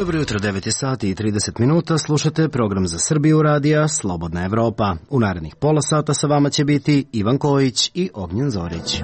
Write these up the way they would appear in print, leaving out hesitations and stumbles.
Dobro jutro, 9 sati i 30 minuta, slušate program za Srbiju radija Slobodna Evropa. U narednih pola sata sa vama će biti Ivan Kojić i Ognjen Zorić.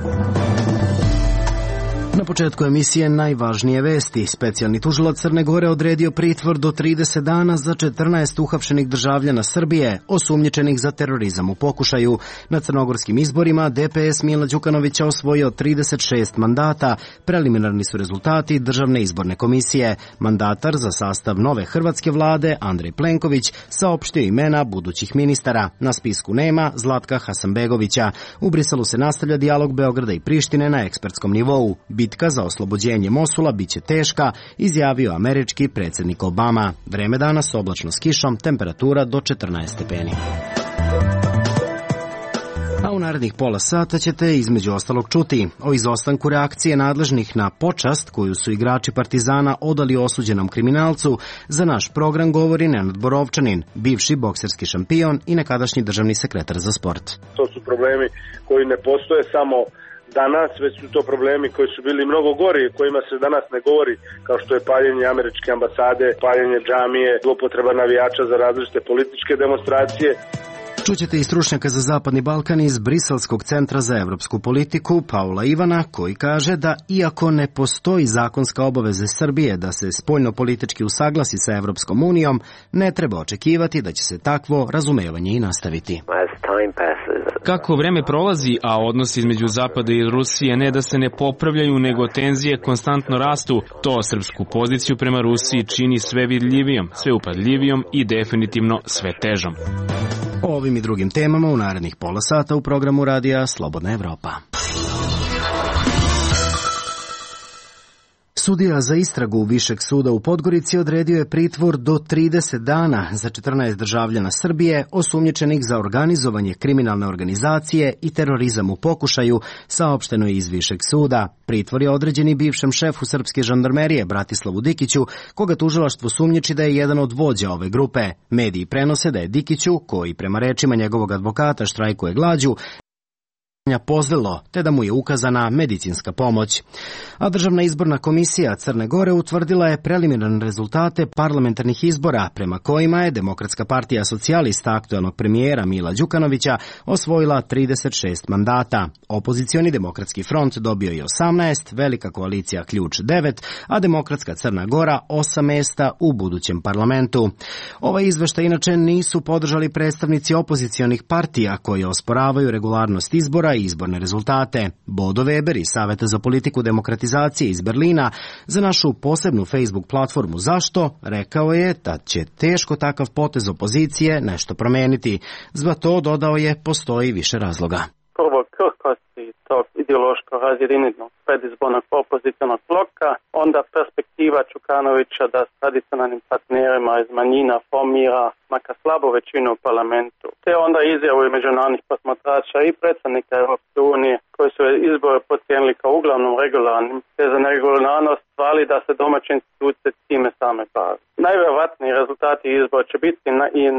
Na početku emisije najvažnije vesti. Specijalni tužilac Crne Gore odredio pritvor do 30 dana za 14 uhapšenih državljana Srbije, osumnjičenih za terorizam u pokušaju. Na crnogorskim izborima DPS Mila Đukanovića osvojio 36 mandata. Preliminarni su rezultati Državne izborne komisije. Mandatar za sastav nove hrvatske vlade, Andrej Plenković, saopštio imena budućih ministara. Na spisku nema Zlatka Hasanbegovića. U Briselu se nastavlja dijalog Beograda i Prištine na ekspertskom nivou. Bitka za oslobođenje Mosula biće teška, izjavio američki predsjednik Obama. Vreme danas oblačno s kišom, temperatura do 14 stepeni. A u narednih pola sata ćete između ostalog čuti o izostanku reakcije nadležnih na počast koju su igrači Partizana odali osuđenom kriminalcu. Za naš program govori Nenad Borovčanin, bivši bokserski šampion i nekadašnji državni sekretar za sport. To su problemi koji ne postoje samo danas, već su to problemi koji su bili mnogo gori, kojima se danas ne govori, kao što je paljenje američke ambasade, paljenje džamije, zloupotreba navijača za različite političke demonstracije. Čućete i stručnjaka za Zapadni Balkan iz Briselskog centra za evropsku politiku, Paula Ivana, koji kaže da iako ne postoji zakonska obaveza Srbije da se spoljno-politički usaglasi sa Evropskom unijom, ne treba očekivati da će se takvo razumevanje i nastaviti. Kako vreme prolazi, a odnosi između Zapada i Rusije ne da se ne popravljaju, nego tenzije konstantno rastu, to srpsku poziciju prema Rusiji čini sve vidljivijom, sve upadljivijom i definitivno sve težom. O ovim i drugim temama u narednih pola sata u programu radija Slobodna Evropa. Sudija za istragu Višeg suda u Podgorici odredio je pritvor do 30 dana za 14 državljana Srbije osumnjičenih za organizovanje kriminalne organizacije i terorizam u pokušaju, saopšteno je iz Višeg suda. Pritvor je određen i bivšem šefu srpske žandarmerije Bratislavu Dikiću, koga tužilaštvo sumnjiči da je jedan od vođa ove grupe. Mediji prenose da je Dikiću, koji prema rečima njegovog advokata štrajkuje glađu, pozlilo, te da mu je ukazana medicinska pomoć. A Državna izborna komisija Crne Gore utvrdila je preliminarne rezultate parlamentarnih izbora, prema kojima je Demokratska partija socijalista aktuelnog premijera Mila Đukanovića osvojila 36 mandata. Opozicioni Demokratski front dobio je 18, Velika koalicija Ključ 9, a Demokratska Crna Gora 8 mesta u budućem parlamentu. Ovaj izveštaj inače nisu podržali predstavnici opozicionih partija koji osporavaju regularnost izbora i izborne rezultate. Bodo Weber iz Saveta za politiku demokratizacije iz Berlina za našu posebnu Facebook platformu Zašto rekao je da će teško takav potez opozicije nešto promeniti. Za to, dodao je, postoji više razloga. Prvo, krhkosti tog ideološko razjedinjenog predizbornog opozicionog bloka, onda perspektiva Đukanovića da s tradicionalnim partnerima iz manjina formira makar slabu većinu u parlamentu. Te onda izjavu i međunarodnih posmatrača i predsjednika Europske unije koji su izbore procijenili kao uglavnom regularnim, te za neregularnost hvali da se domaće institucije time same bave. Najvjerojatniji rezultati izbora će biti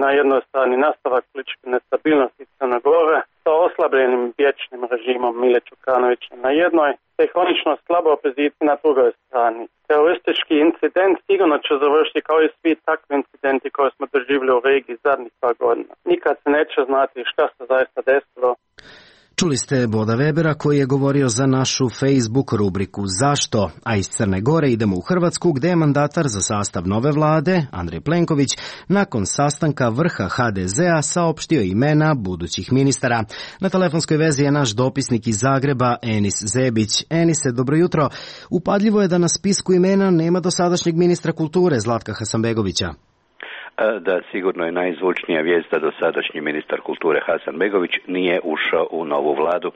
na jednoj strani nastavak političke nestabilnosti Crne Gore sa oslabljenim vječnim režimom Mile Đukanovića na jednoj, te hronično slabo opozicija na drugoj strani. Teroristički incident sigurno će završiti kao i svi takvi incidenti koje smo doživjeli u regiji zadnjih par godina. Nikad se neće znati šta se zaista desilo. Čuli ste Boda Webera koji je govorio za našu Facebook rubriku Zašto, a iz Crne Gore idemo u Hrvatsku gdje je mandatar za sastav nove vlade, Andrej Plenković, nakon sastanka vrha HDZ-a saopštio imena budućih ministara. Na telefonskoj vezi je naš dopisnik iz Zagreba, Enis Zebić. Enise, dobro jutro. Upadljivo je da na spisku imena nema dosadašnjeg ministra kulture Zlatka Hasanbegovića. Da, sigurno je najzvučnija vijest da dosadašnji ministar kulture Hasanbegović nije ušao u novu vladu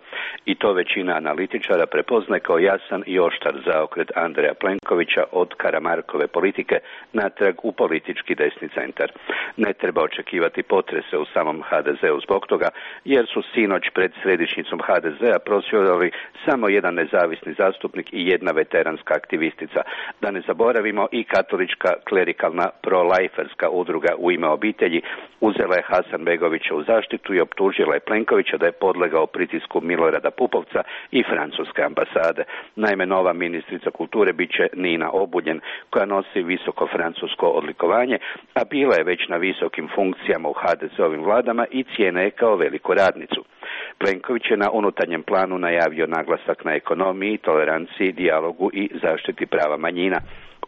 i to većina analitičara prepoznaje kao jasan i oštar zaokret Andreja Plenkovića od Karamarkove politike natrag u politički desni centar. Ne treba očekivati potrese u samom HDZ-u zbog toga, jer su sinoć pred središnjicom HDZ-a prosvjedovali samo jedan nezavisni zastupnik i jedna veteranska aktivistica. Da ne zaboravimo i katolička klerikalna pro-liferska udruga udruga U ime obitelji uzela je Hasanbegovića u zaštitu i optužila je Plenkovića da je podlegao pritisku Milorada Pupovca i francuske ambasade. Naime, nova ministrica kulture bit će Nina Obuljen, koja nosi visoko francusko odlikovanje, a bila je već na visokim funkcijama u HDZ-ovim vladama i cijene je kao veliku radnicu. Plenković je na unutarnjem planu najavio naglasak na ekonomiji, toleranciji, dijalogu i zaštiti prava manjina.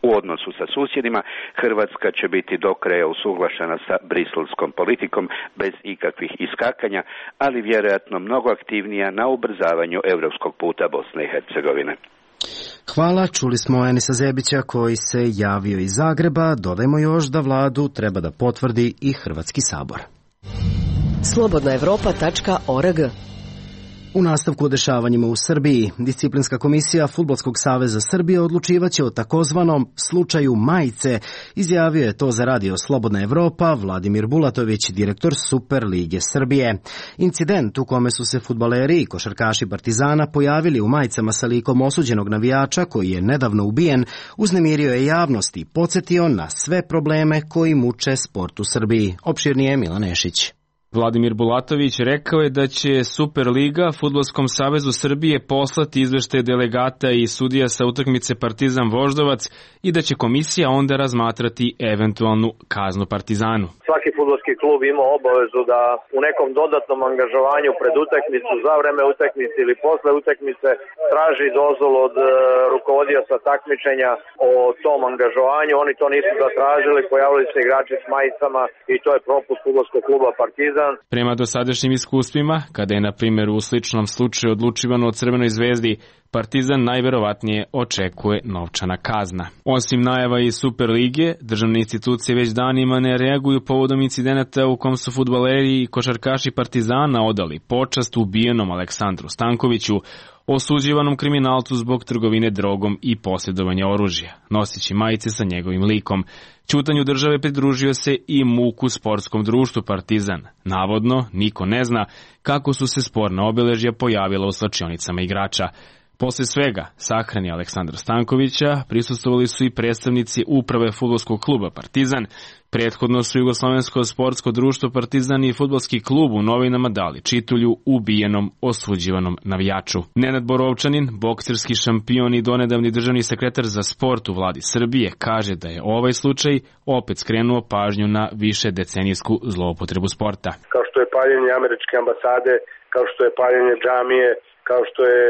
U odnosu sa susjedima, Hrvatska će biti do kraja usuglašena sa briselskom politikom bez ikakvih iskakanja, ali vjerojatno mnogo aktivnija na ubrzavanju europskog puta Bosne i Hercegovine. Hvala, čuli smo Enisa Zebića koji se javio iz Zagreba. Dodajmo još da vladu treba da potvrdi i Hrvatski sabor. Slobodnaevropa.org. U nastavku o dešavanjima u Srbiji, Disciplinska komisija Fudbalskog saveza Srbije odlučivaće o takozvanom slučaju majice, izjavio je to za radio Slobodna Evropa Vladimir Bulatović, direktor Super lige Srbije. Incident u kome su se fudbaleri i košarkaši Partizana pojavili u majicama sa likom osuđenog navijača koji je nedavno ubijen, uznemirio je javnost i podsjetio na sve probleme koji muče sport u Srbiji. Opširnije Milan Nešić. Vladimir Bulatović rekao je da će Superliga Fudbalskom savezu Srbije poslati izveštaje delegata i sudija sa utakmice Partizan Voždovac i da će komisija onda razmatrati eventualnu kaznu Partizanu. Svaki fudbalski klub ima obavezu da u nekom dodatnom angažovanju pred utakmicu, za vreme utakmice ili posle utakmice traži dozvolu od rukovodioca takmičenja o tom angažovanju. Oni to nisu zatražili, pojavili se igrači s majicama i to je propust fudbalskog kluba Partizan. Prema dosadašnjim iskustvima, kada je na primjer u sličnom slučaju odlučivano o Crvenoj zvezdi, Partizan najverovatnije očekuje novčana kazna. Osim najava iz Superlige, državne institucije već danima ne reaguju povodom incidenata u kom su fudbaleri i košarkaši Partizana odali počast ubijenom Aleksandru Stankoviću, osuđivanom kriminalcu zbog trgovine drogom i posjedovanja oružja, nosići majice sa njegovim likom. Ćutanju države pridružio se i MUK-u sportskom društvu Partizan. Navodno, niko ne zna kako su se sporna obeležja pojavila u slačionicama igrača. Posle svega, sahrani Aleksandra Stankovića prisustvovali su i predstavnici uprave fudbalskog kluba Partizan. Prethodno su Jugoslovensko sportsko društvo Partizan i fudbalski klub u novinama dali čitulju ubijenom osuđivanom navijaču. Nenad Borovčanin, bokserski šampion i donedavni državni sekretar za sport u vladi Srbije, kaže da je ovaj slučaj opet skrenuo pažnju na više decenijsku zloupotrebu sporta. Kao što je paljenje američke ambasade, kao što je paljenje džamije, kao što je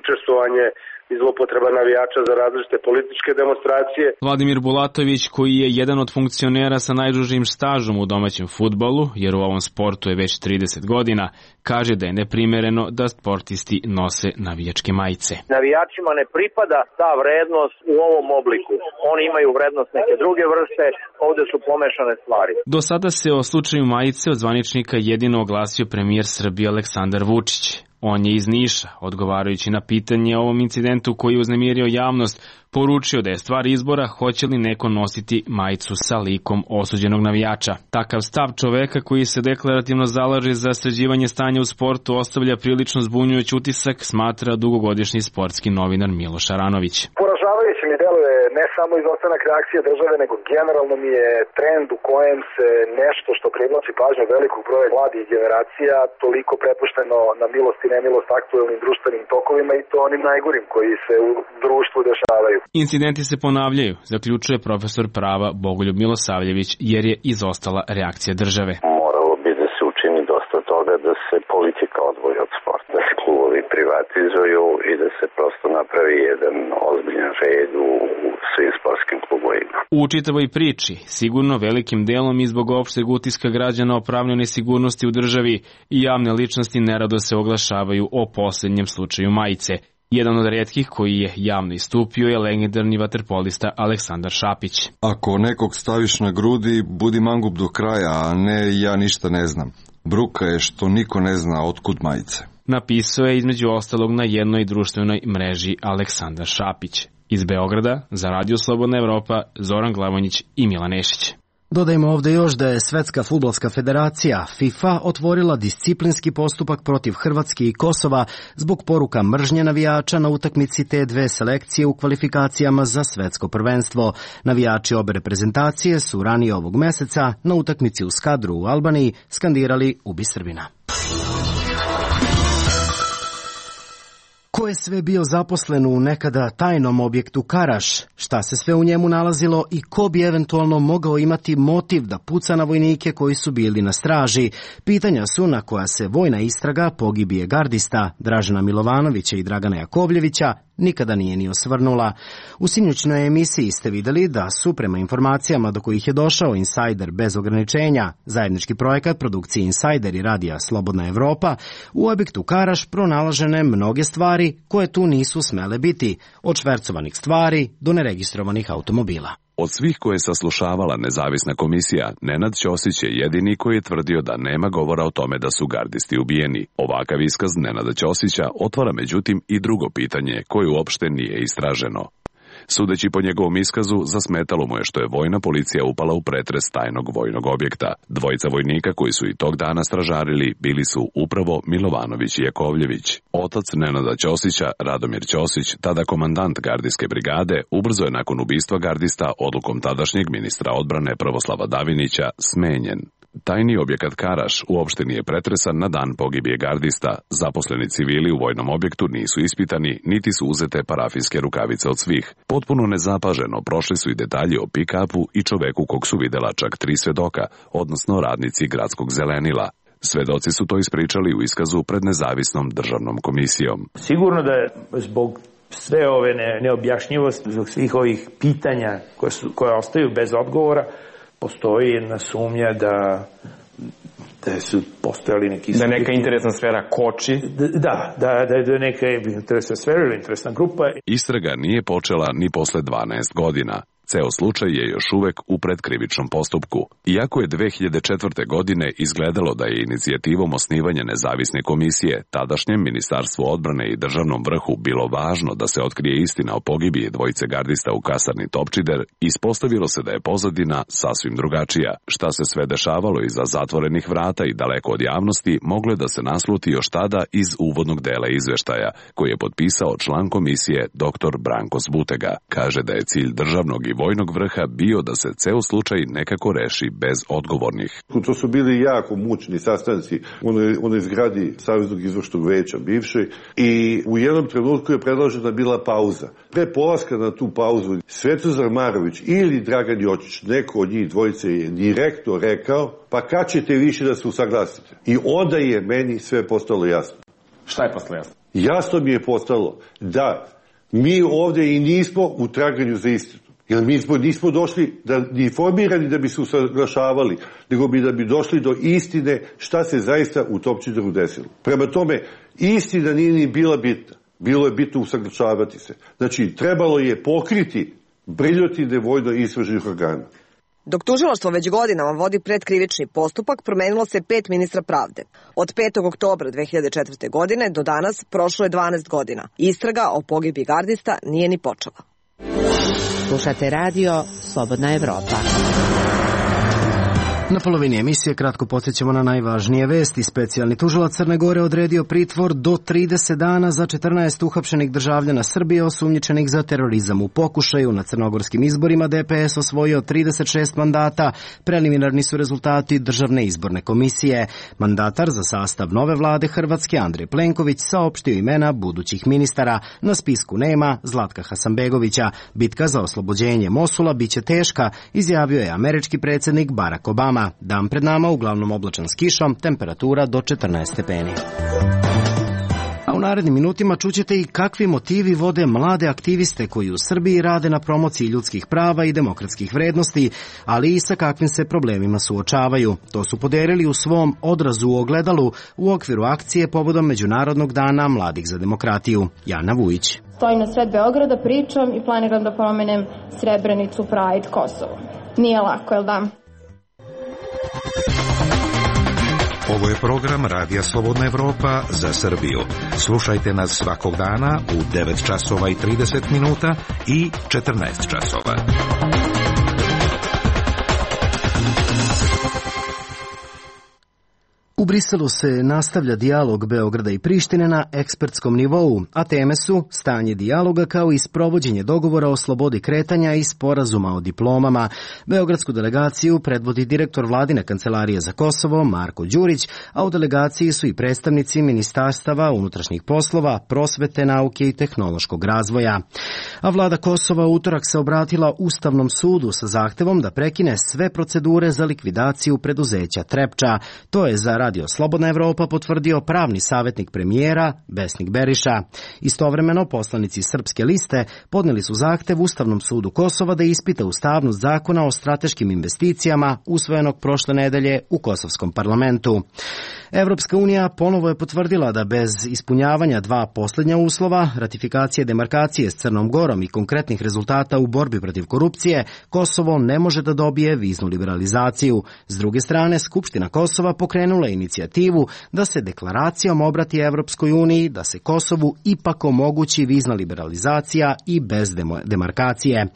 učestvovanje i zlopotreba navijača za različite političke demonstracije. Vladimir Bulatović, koji je jedan od funkcionera sa najdužim stažom u domaćem fudbalu, jer u ovom sportu je već 30 godina, kaže da je neprimereno da sportisti nose navijačke majice. Navijačima ne pripada ta vrednost u ovom obliku. Oni imaju vrednost neke druge vrste, ovde su pomešane stvari. Do sada se o slučaju majice od zvaničnika jedino oglasio premijer Srbije Aleksandar Vučić. On je iz Niša, odgovarajući na pitanje o ovom incidentu koji je uznemirio javnost, poručio da je stvar izbora hoće li neko nositi majicu sa likom osuđenog navijača. Takav stav čoveka koji se deklarativno zalaže za sređivanje stanja u sportu ostavlja prilično zbunjujući utisak, smatra dugogodišnji sportski novinar Miloš Aranović. Poražavajuće mi deluje ne samo izostanak reakcije države, nego generalno mi je trend u kojem se nešto što privlači pažnju velikog broja mladih generacija toliko prepušteno na milost i nemilost aktuelnim društvenim tokovima i to onim najgorim koji se u društvu dešavaju. Incidenti se ponavljaju, zaključuje profesor prava Bogoljub Milosavljević, jer je izostala reakcija države. Moralo bi da se učini dosta toga da se politika odvoji od sporta, da se klubovi privatizuju i da se prosto napravi jedan ozbiljan red u svim sportskim klubovima. U čitavoj priči, sigurno velikim delom i zbog opšteg utiska građana o pravnoj nesigurnosti u državi i javne ličnosti nerado se oglašavaju o posljednjem slučaju majice. Jedan od retkih koji je javno istupio je legendarni vaterpolista Aleksandar Šapić. Ako nekog staviš na grudi, budi mangup do kraja, a ne ja ništa ne znam. Bruka je što niko ne zna otkud majice. Napisao je između ostalog na jednoj društvenoj mreži Aleksandar Šapić. Iz Beograda, za Radio Slobodna Evropa, Zoran Glavonjić i Milan Nešić. Dodajmo ovdje još da je Svetska fudbalska federacija FIFA otvorila disciplinski postupak protiv Hrvatske i Kosova zbog poruka mržnje navijača na utakmici te dve selekcije u kvalifikacijama za svetsko prvenstvo. Navijači obe reprezentacije su ranije ovog meseca na utakmici u Skadru u Albaniji skandirali "Ubi Srbina". Ko je sve bio zaposlen u nekada tajnom objektu Karaš, šta se sve u njemu nalazilo i ko bi eventualno mogao imati motiv da puca na vojnike koji su bili na straži, pitanja su na koja se vojna istraga pogibije gardista Dražena Milovanovića i Dragana Jakovljevića nikada nije ni osvrnula. U sinoćnoj emisiji ste vidjeli da su, prema informacijama do kojih je došao Insajder bez ograničenja, zajednički projekat produkcije Insajder i radija Slobodna Evropa, u objektu Karaš pronalažene mnoge stvari koje tu nisu smele biti, od švercovanih stvari do neregistrovanih automobila. Od svih koje je saslušavala nezavisna komisija, Nenad Ćosić je jedini koji je tvrdio da nema govora o tome da su gardisti ubijeni. Ovakav iskaz Nenada Ćosića otvara međutim i drugo pitanje koje uopšte nije istraženo. Sudeći po njegovom iskazu, zasmetalo mu je što je vojna policija upala u pretres tajnog vojnog objekta. Dvojica vojnika koji su i tog dana stražarili bili su upravo Milovanović i Jakovljević. Otac Nenada Ćosića, Radomir Ćosić, tada komandant gardijske brigade, ubrzo je nakon ubistva gardista odlukom tadašnjeg ministra odbrane Prvoslava Davinića smenjen. Tajni objekat Karaš uopšte nije pretresan na dan pogibije gardista. Zaposleni civili u vojnom objektu nisu ispitani, niti su uzete parafijske rukavice od svih. Potpuno nezapaženo prošli su i detalji o pick-upu i čoveku kog su videla čak 3 svedoka, odnosno radnici gradskog zelenila. Svedoci su to ispričali u iskazu pred nezavisnom državnom komisijom. Sigurno da je zbog sve ove neobjašnjivosti, zbog svih ovih pitanja koje ostaju bez odgovora, postoji jedna sumnja da su postojali neki... Da neka interesna sfera koči? Da je neka interesna sfera ili interesna grupa. Istraga nije počela ni posle 12 godina. Ceo slučaj je još uvek u predkrivičnom postupku. Iako je 2004. godine izgledalo da je inicijativom osnivanja nezavisne komisije tadašnjem Ministarstvu odbrane i državnom vrhu bilo važno da se otkrije istina o pogibiji dvojice gardista u kasarni Topčider, ispostavilo se da je pozadina sasvim drugačija. Šta se sve dešavalo iza zatvorenih vrata i daleko od javnosti moglo je da se nasluti još tada iz uvodnog dela izveštaja, koji je potpisao član komisije dr. Branko Zbutega. Kaže da je cilj državnog i vojnog vrha bio da se ceo slučaj nekako reši bez odgovornih. To su bili jako mučni sastanci u onoj zgradi Saveznog izvršnog veća bivšoj i u jednom trenutku je predložena bila pauza. Pre polaska na tu pauzu Svetozar Marović ili Dragan Jočić, neko od njih dvojice je direktno rekao, pa kad ćete više da se usaglasite? I onda je meni sve postalo jasno. Šta je postalo jasno? Jasno mi je postalo da mi ovde i nismo u traganju za istinu. Jer mi nismo došli ni formirani da bi se usaglašavali, nego da bi došli do istine šta se zaista u Topčideru desilo. Prema tome, istina nije ni bila bitna. Bilo je bitno usaglašavati se. Znači, trebalo je pokriti briljotine vojno-istražnih organa. Dok tužilaštvo već godinama vodi predkrivični postupak, promenilo se 5 ministra pravde. Od 5. oktobra 2004. godine do danas prošlo je 12 godina. Istraga o pogibiji gardista nije ni počela. Slušate radio Slobodna Evropa. Na polovini emisije kratko podsjećamo na najvažnije vesti. Specijalni tužilac Crne Gore odredio pritvor do 30 dana za 14 uhapšenih državljana Srbije osumnjičenih za terorizam u pokušaju. Na crnogorskim izborima DPS osvojio 36 mandata. Preliminarni su rezultati Državne izborne komisije. Mandatar za sastav nove vlade Hrvatske Andrej Plenković saopštio imena budućih ministara. Na spisku nema Zlatka Hasanbegovića. Bitka za oslobođenje Mosula biće teška, izjavio je američki predsjednik Barack Obama. Dan pred nama uglavnom oblačan s kišom, temperatura do 14 stepeni. A u narednim minutima čućete i kakvi motivi vode mlade aktiviste koji u Srbiji rade na promociji ljudskih prava i demokratskih vrednosti, ali i sa kakvim se problemima suočavaju. To su podelili u svom odrazu u ogledalu u okviru akcije povodom Međunarodnog dana mladih za demokratiju. Jana Vujić. Stojim na sred Beograda, pričam i planiram da promenem Srebrenicu, Pride, Kosovo. Nije lako, jel da? Ovo je program Radija Slobodna Evropa za Srbiju. Slušajte nas svakog dana u 9 časova i 30 minuta i 14 časova. U Briselu se nastavlja dijalog Beograda i Prištine na ekspertskom nivou, a teme su stanje dijaloga kao i sprovođenje dogovora o slobodi kretanja i sporazuma o diplomama. Beogradsku delegaciju predvodi direktor Vladine kancelarije za Kosovo Marko Đurić, a u delegaciji su i predstavnici ministarstava unutrašnjih poslova, prosvete, nauke i tehnološkog razvoja. A vlada Kosova utorak se obratila Ustavnom sudu sa zahtevom da prekine sve procedure za likvidaciju preduzeća Trepča. To je za Radio Slobodna Evropa potvrdio pravni savjetnik premijera Besnik Beriša. Istovremeno, poslanici Srpske liste podneli su zahtev Ustavnom sudu Kosova da ispita ustavnost zakona o strateškim investicijama usvojenog prošle nedelje u Kosovskom parlamentu. Evropska unija ponovo je potvrdila da bez ispunjavanja dva posljednja uslova, ratifikacije demarkacije s Crnom Gorom i konkretnih rezultata u borbi protiv korupcije, Kosovo ne može da dobije viznu liberalizaciju. S druge strane, Skupština Kosova pokrenula inicijativu da se deklaracijom obrati Evropskoj uniji da se Kosovu ipak omogući vizna liberalizacija i bez demarkacije.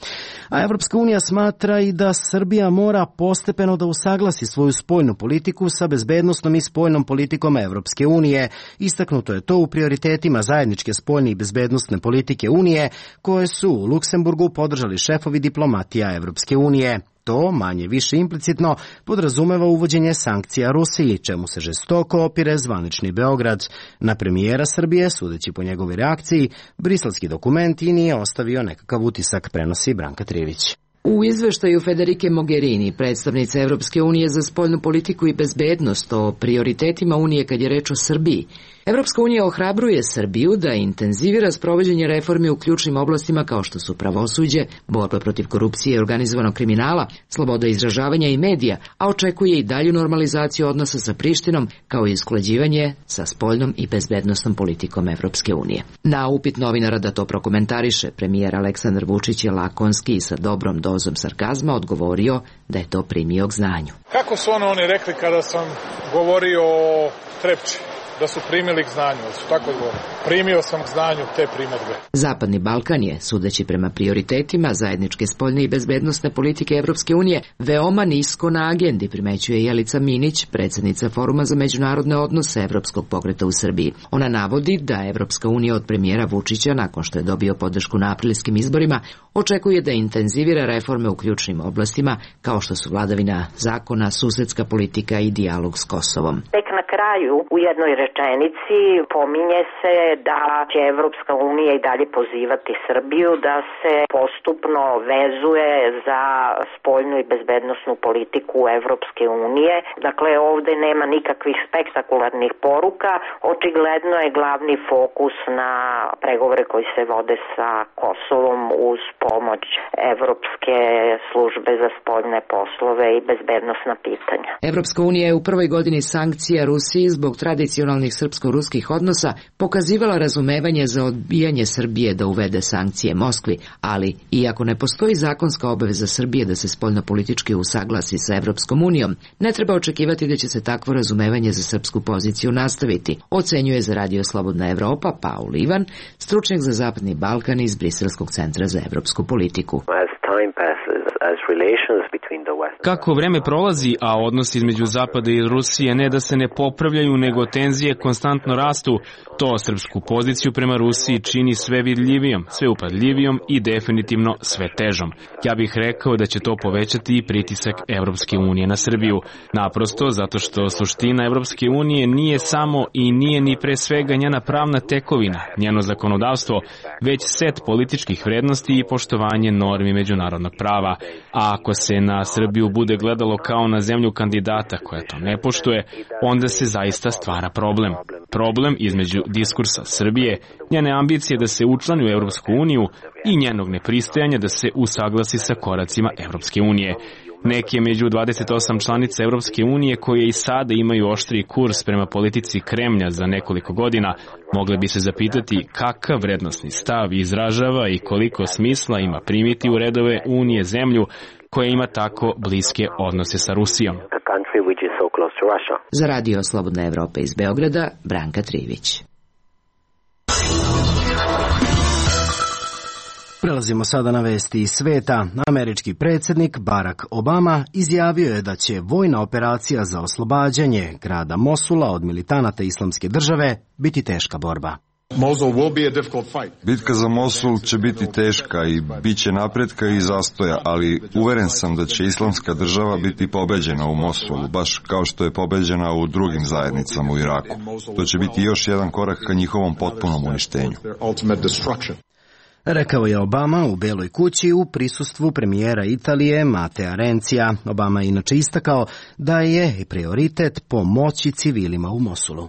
A Evropska unija smatra i da Srbija mora postepeno da usaglasi svoju spoljnu politiku sa bezbednosnom i spoljnom politikom Evropske unije. Istaknuto je to u prioritetima zajedničke spoljne i bezbednosne politike Unije, koje su u Luksemburgu podržali šefovi diplomatija Evropske unije. To, manje više implicitno, podrazumeva uvođenje sankcija Rusiji, čemu se žestoko opire zvanični Beograd. Na premijera Srbije, sudeći po njegovoj reakciji, briselski dokument i nije ostavio nekakav utisak, prenosi Branka Trivić. U izveštaju Federike Mogherini, predstavnice Evropske unije za spoljnu politiku i bezbednost o prioritetima Unije kad je reč o Srbiji, Evropska unija ohrabruje Srbiju da intenzivira sprovođenje reformi u ključnim oblastima kao što su pravosuđe, borba protiv korupcije i organizovanog kriminala, sloboda izražavanja i medija, a očekuje i dalju normalizaciju odnosa sa Prištinom kao i usklađivanje sa spoljnom i bezbednosnom politikom Evropske unije. Na upit novinara da to prokomentariše, premijer Aleksandar Vučić je lakonski i sa dobrom dozom sarkazma odgovorio da je to primio k znanju. Kako su oni rekli kada sam govorio o Trepči? Da su primili k znanju, da su tako govorili. Primio sam k znanju te primedbe. Zapadni Balkan je, sudeći prema prioritetima zajedničke spoljne i bezbednosne politike Evropske unije, veoma nisko na agendi, primećuje Jelica Minić, predsjednica Foruma za međunarodne odnose Evropskog pokreta u Srbiji. Ona navodi da Evropska unija od premijera Vučića, nakon što je dobio podršku na aprilskim izborima, očekuje da intenzivira reforme u ključnim oblastima, kao što su vladavina zakona, susedska politika i dijalog s Kosovom. Tek na kraju, u jednoj rečenici, pominje se da će Evropska unija i dalje pozivati Srbiju da se postupno vezuje za spoljnu i bezbednosnu politiku Evropske unije. Dakle, ovde nema nikakvih spektakularnih poruka. Očigledno je glavni fokus na pregovore koji se vode sa Kosovom uz pomoć Evropske službe za spoljne poslove i bezbednosna pitanja. Evropska unija je u prvoj godini sankcija Rusiji zbog tradicionalnih srpsko-ruskih odnosa pokazivala razumevanje za odbijanje Srbije da uvede sankcije Moskvi, ali iako ne postoji zakonska obaveza Srbije da se spoljnopolitički usaglasi sa Evropskom unijom, ne treba očekivati da će se takvo razumevanje za srpsku poziciju nastaviti, ocenjuje za Radio Slobodna Evropa Paul Ivan, stručnjak za Zapadni Balkan iz Briselskog centra za evropsku politiku. Kako vreme prolazi, a odnosi između Zapada i Rusije ne da se ne popravljaju, nego tenzije konstantno rastu, to srpsku poziciju prema Rusiji čini sve vidljivijom, sve upadljivijom i definitivno sve težom. Ja bih rekao da će to povećati i pritisak Evropske unije na Srbiju. Naprosto zato što suština Evropske unije nije samo i nije ni pre svega njena pravna tekovina, njeno zakonodavstvo, već set političkih vrednosti i poštovanje normi međunarodnog prava. A ako se na Srbiju bude gledalo kao na zemlju kandidata koja to ne poštuje, onda se zaista stvara problem. Problem između diskursa Srbije, njene ambicije da se učlani u Evropsku uniju i njenog nepristajanja da se usaglasi sa koracima Evropske unije. Neke među 28 članica Evropske unije koje i sada imaju oštriji kurs prema politici Kremlja za nekoliko godina, mogle bi se zapitati kakav vrednosni stav izražava i koliko smisla ima primiti u redove Unije zemlju koja ima tako bliske odnose sa Rusijom. Za Radio Slobodna Evropa iz Beograda, Branka Trivić. Prelazimo sada na vesti iz sveta. Američki predsjednik Barack Obama izjavio je da će vojna operacija za oslobađanje grada Mosula od militanata Islamske države biti teška borba. Bitka za Mosul će biti teška i bit će napretka i zastoja, ali uveren sam da će Islamska država biti pobeđena u Mosulu, baš kao što je pobeđena u drugim zajednicama u Iraku. To će biti još jedan korak ka njihovom potpunom uništenju. Rekao je Obama u Beloj kući u prisustvu premijera Italije Matea Renzija. Obama je inače istakao da je prioritet pomoći civilima u Mosulu.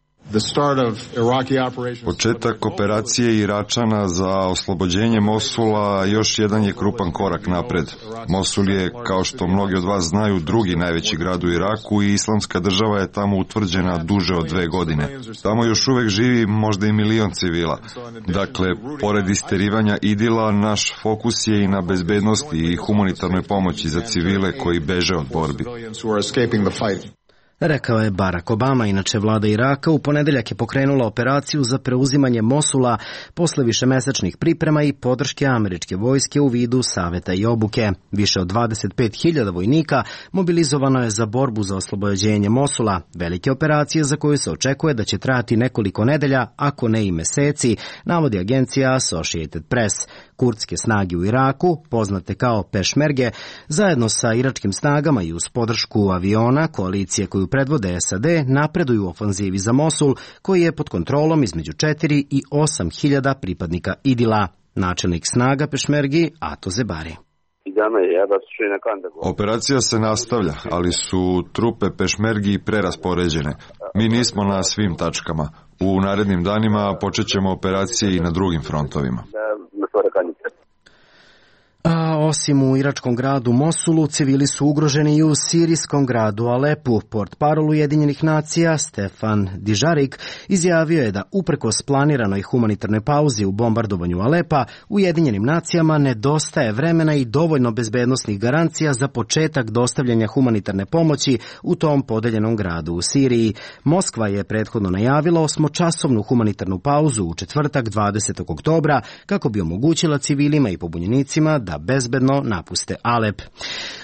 Početak operacije Iračana za oslobođenje Mosula još jedan je krupan korak napred. Mosul je, kao što mnogi od vas znaju, drugi najveći grad u Iraku i Islamska država je tamo utvrđena duže od 2 godine. Tamo još uvek živi možda i 1 milion civila. Dakle, pored isterivanja idila, naš fokus je i na bezbednosti i humanitarnoj pomoći za civile koji beže od borbi. Rekao je Barack Obama. Inače, vlada Iraka u ponedeljak je pokrenula operaciju za preuzimanje Mosula posle višemesečnih priprema i podrške američke vojske u vidu saveta i obuke. Više od 25.000 vojnika mobilizovano je za borbu za oslobođenje Mosula, velike operacije za koju se očekuje da će trajati nekoliko nedelja, ako ne i meseci, navodi agencija Associated Press. Kurdske snage u Iraku, poznate kao pešmerge, zajedno sa iračkim snagama i uz podršku aviona koalicije koju predvode SAD, napreduju u ofanzivi za Mosul, koji je pod kontrolom između 4 i 8.000 pripadnika Idila. Načelnik snaga pešmergi Ato Zebari. Operacija se nastavlja, ali su trupe pešmergi preraspoređene. Mi nismo na svim tačkama. U narednim danima počet ćemo operacije i na drugim frontovima. A osim u iračkom gradu Mosulu, civili su ugroženi i u sirijskom gradu Alepu. Portparol Ujedinjenih nacija Stefan Dižarik izjavio je da uprkos planiranoj humanitarnoj pauzi u bombardovanju Alepa, Ujedinjenim nacijama nedostaje vremena i dovoljno bezbednosnih garancija za početak dostavljanja humanitarne pomoći u tom podeljenom gradu u Siriji. Moskva je prethodno najavila 8-časovnu humanitarnu pauzu u četvrtak 20. oktobra kako bi omogućila civilima i pobunjenicima da bezbedno napuste Alep.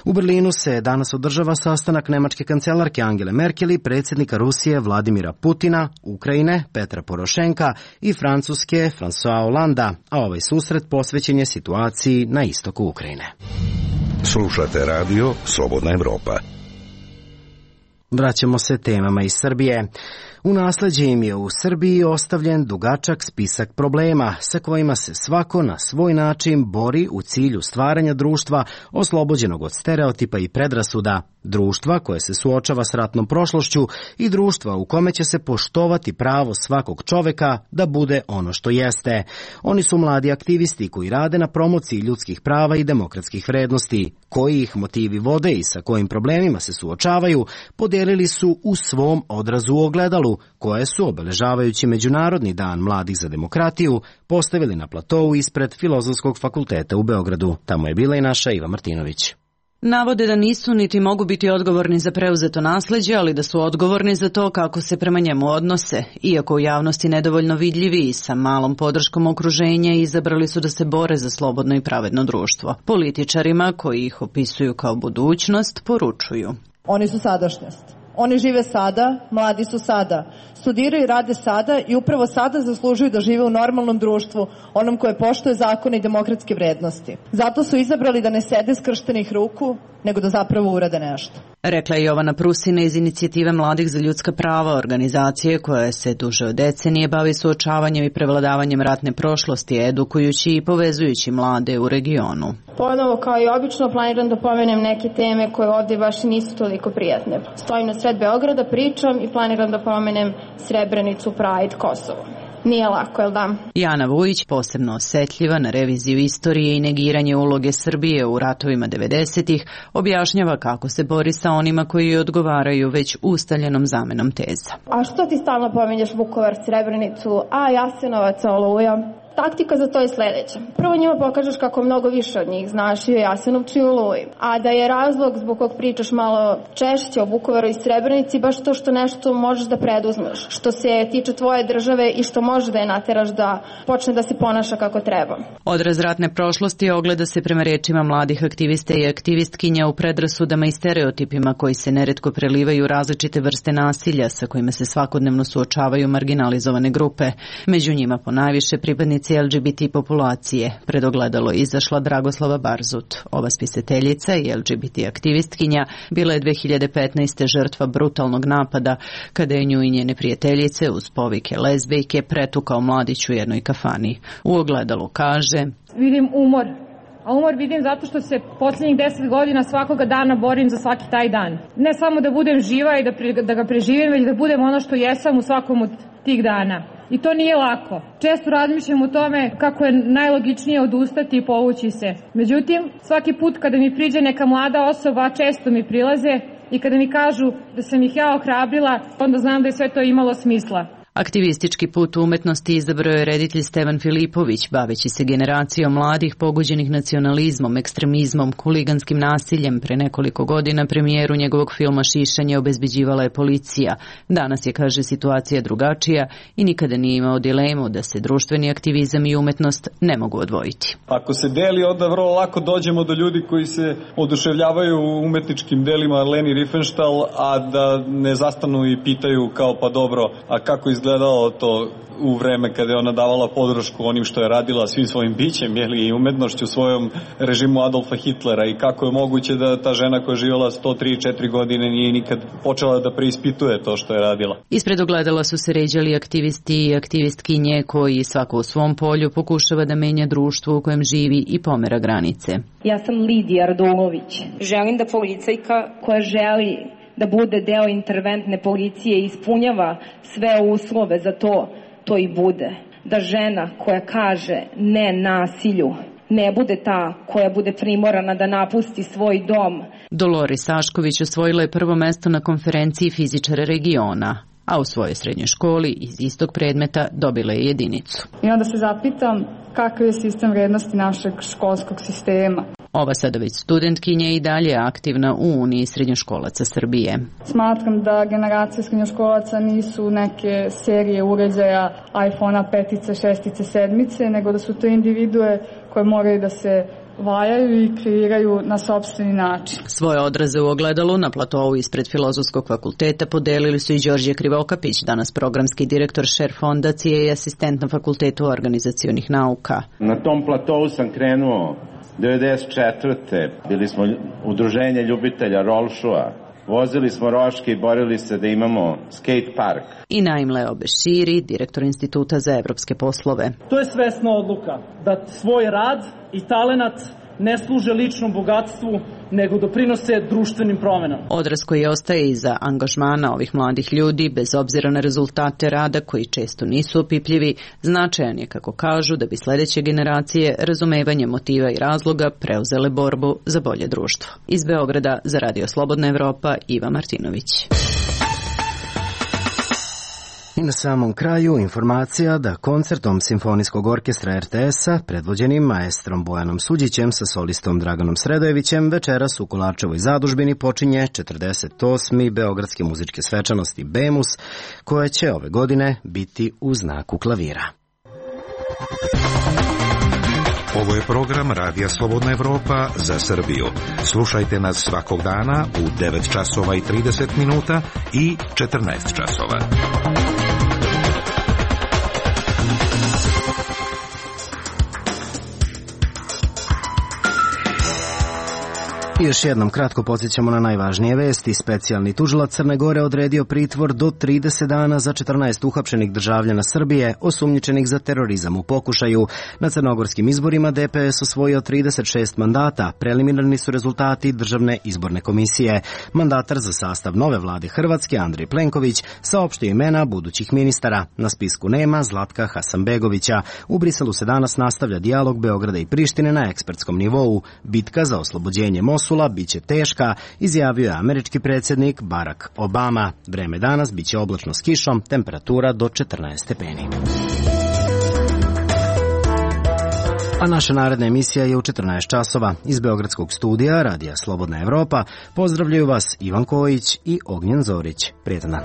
U Berlinu se danas održava sastanak nemačke kancelarke Angele Merkel i predsjednika Rusije Vladimira Putina, Ukrajine Petra Porošenka i Francuske François Hollanda, a ovaj susret posvećen je situaciji na istoku Ukrajine. Slušate radio Slobodna Evropa. Vraćamo se temama iz Srbije. U nasleđe im je u Srbiji ostavljen dugačak spisak problema sa kojima se svako na svoj način bori u cilju stvaranja društva oslobođenog od stereotipa i predrasuda, društva koje se suočava s ratnom prošlošću i društva u kome će se poštovati pravo svakog čoveka da bude ono što jeste. Oni su mladi aktivisti koji rade na promociji ljudskih prava i demokratskih vrednosti. Koji ih motivi vode i sa kojim problemima se suočavaju, podelili su u svom odrazu u ogledalu, koje su, obeležavajući Međunarodni dan mladih za demokratiju, postavili na platovu ispred Filozofskog fakulteta u Beogradu. Tamo je bila i naša Iva Martinović. Navode da nisu niti mogu biti odgovorni za preuzeto nasleđe, ali da su odgovorni za to kako se prema njemu odnose. Iako u javnosti nedovoljno vidljivi i sa malom podrškom okruženja, izabrali su da se bore za slobodno i pravedno društvo. Političarima, koji ih opisuju kao budućnost, poručuju. Oni su sadašnjost. Oni žive sada, mladi su sada, studiraju i rade sada i upravo sada zaslužuju da žive u normalnom društvu, onom koje poštuje zakone i demokratske vrednosti. Zato su izabrali da ne sede skrštenih ruku, nego da zapravo urade nešto. Rekla je Jovana Prusina iz Inicijative mladih za ljudska prava, organizacije koja se duže od decenije bavi suočavanjem i prevladavanjem ratne prošlosti, edukujući i povezujući mlade u regionu. Ponovo, kao i obično, planiram da pomenem neke teme koje ovdje baš nisu toliko prijatne. Stojim na sred Beograda, pričam i planiram da pomenem Srebrenicu, Pride, Kosovo. Nije lako, jel da? Jana Vujić, posebno osetljiva na reviziju istorije i negiranje uloge Srbije u ratovima 90-ih, objašnjava kako se bori sa onima koji odgovaraju već ustaljenom zamenom teza. A što ti stalno pominješ Vukovar, Srebrenicu, a Jasenovac, Oluja? Taktika za to je sledeća. Prvo njima pokažeš kako mnogo više od njih znaš i o Jasenovcu i o Oluji, a da je razlog zbog kog pričaš malo češće o Vukovaru i Srebrenici baš to što nešto možeš da preduzmeš, što se tiče tvoje države i što može da je nateraš da počne da se ponaša kako treba. Odraz ratne prošlosti ogleda se prema rečima mladih aktivista i aktivistkinja u predrasudama i stereotipima koji se neretko prelivaju različite vrste nasilja sa kojima se svakodnevno suočavaju marginalizovane grupe. Među njima ponajviše pripadnici LGBT populacije. Pred ogledalo izašla Dragoslava Barzut. Ova spisateljica i LGBT aktivistkinja bila je 2015. žrtva brutalnog napada kada je nju i njene prijateljice uz povike lezbejke pretukao mladić u jednoj kafani. U ogledalu kaže: Vidim umor. A umor vidim zato što se posljednjih 10 godina svakoga dana borim za svaki taj dan. Ne samo da budem živa i da ga preživim, već da budem ono što jesam u svakom od tih dana. I to nije lako. Često razmišljam o tome kako je najlogičnije odustati i povući se. Međutim, svaki put kada mi priđe neka mlada osoba, često mi prilaze i kada mi kažu da sam ih ja ohrabrila, onda znam da je sve to imalo smisla. Aktivistički put u umetnosti izabrao je reditelj Stevan Filipović, baveći se generacijom mladih pogođenih nacionalizmom, ekstremizmom, huliganskim nasiljem. Pre nekoliko godina premijeru njegovog filma Šišanje obezbeđivala je policija. Danas je, kaže, situacija drugačija i nikada nije imao dilemu da se društveni aktivizam i umetnost ne mogu odvojiti. Ako se deli, onda vrlo lako dođemo do ljudi koji se oduševljavaju u umetničkim delima Leni Riefenstahl, a da ne zastanu i pitaju kao pa dobro, a kako izgledalo to u vreme kada je ona davala podršku onim što je radila svim svojim bićem, i umetnošću svojom režimu Adolfa Hitlera, i kako je moguće da ta žena koja je živjela 103-4 godine nije nikad počela da preispituje to što je radila. Ispred ogledala su se ređali aktivisti i aktivistkinje koji svako u svom polju pokušava da menja društvo u kojem živi i pomera granice. Ja sam Lidija Radulović. Želim da policajka koja želi da bude deo interventne policije i ispunjava sve uslove za to i bude. Da žena koja kaže ne nasilju ne bude ta koja bude primorana da napusti svoj dom. Dolores Sašković osvojila je prvo mesto na konferenciji fizičara regiona, a u svojoj srednjoj školi iz istog predmeta dobila je jedinicu. I onda se zapitam kakav je sistem vrednosti našeg školskog sistema. Ova sada već studentkinja i dalje aktivna u Uniji srednjoškolaca Srbije. Smatram da generacije srednjoškolaca nisu neke serije uređaja iPhone-a 5, 6, 7, nego da su to individue koje moraju da se valjaju i kreiraju na sopstveni način. Svoje odraze u ogledalu na platovu ispred Filozofskog fakulteta podelili su i Đorđe Krivokapić, danas programski direktor Šer fondacije i asistent na Fakultetu organizacionih nauka. Na tom platovu sam krenuo 1994. Bili smo udruženje ljubitelja rolšua. Vozili smo roške i borili se da imamo skate park. I Naim Leo Beširi, direktor Instituta za evropske poslove. To je svesna odluka da svoj rad i talenat ne služe ličnom bogatstvu, nego doprinose društvenim promenama. Odraz koji ostaje iza angažmana ovih mladih ljudi, bez obzira na rezultate rada koji često nisu opipljivi, značajan je, kako kažu, da bi sledeće generacije razumevanje motiva i razloga preuzele borbu za bolje društvo. Iz Beograda za Radio Slobodna Evropa, Iva Martinović. I na samom kraju informacija da koncertom Simfonijskog orkestra RTS-a, predvođenim maestrom Bojanom Suđićem sa solistom Draganom Sredojevićem, večeras u Kolarčevoj zadužbini počinje 48. Beogradske muzičke svečanosti BEMUS, koja će ove godine biti u znaku klavira. Ovo je program Radija Slobodna Evropa za Srbiju. Slušajte nas svakog dana u 9 časova i 30 minuta i 14 časova. I još jednom kratko podsjećamo na najvažnije vesti. Specijalni tužilac Crne Gore odredio pritvor do 30 dana za 14 uhapšenih državljana Srbije osumnjičenih za terorizam u pokušaju. Na crnogorskim izborima DPS osvojio 36 mandata. Preliminarni su rezultati Državne izborne komisije. Mandatar za sastav nove vlade Hrvatske, Andrej Plenković, saopštio imena budućih ministara. Na spisku nema Zlatka Hasanbegovića. U Briselu se danas nastavlja dijalog Beograda i Prištine na ekspertskom nivou. Bitka za oslobođenje Mosula biće teška, izjavio je američki predsjednik Barack Obama. Vreme danas biće oblačno s kišom, temperatura do 14 stepeni. A naša naredna emisija je u 14 časova. Iz Beogradskog studija Radija Slobodna Evropa pozdravljaju vas Ivan Kojić i Ognjen Zorić. Prijetan dan.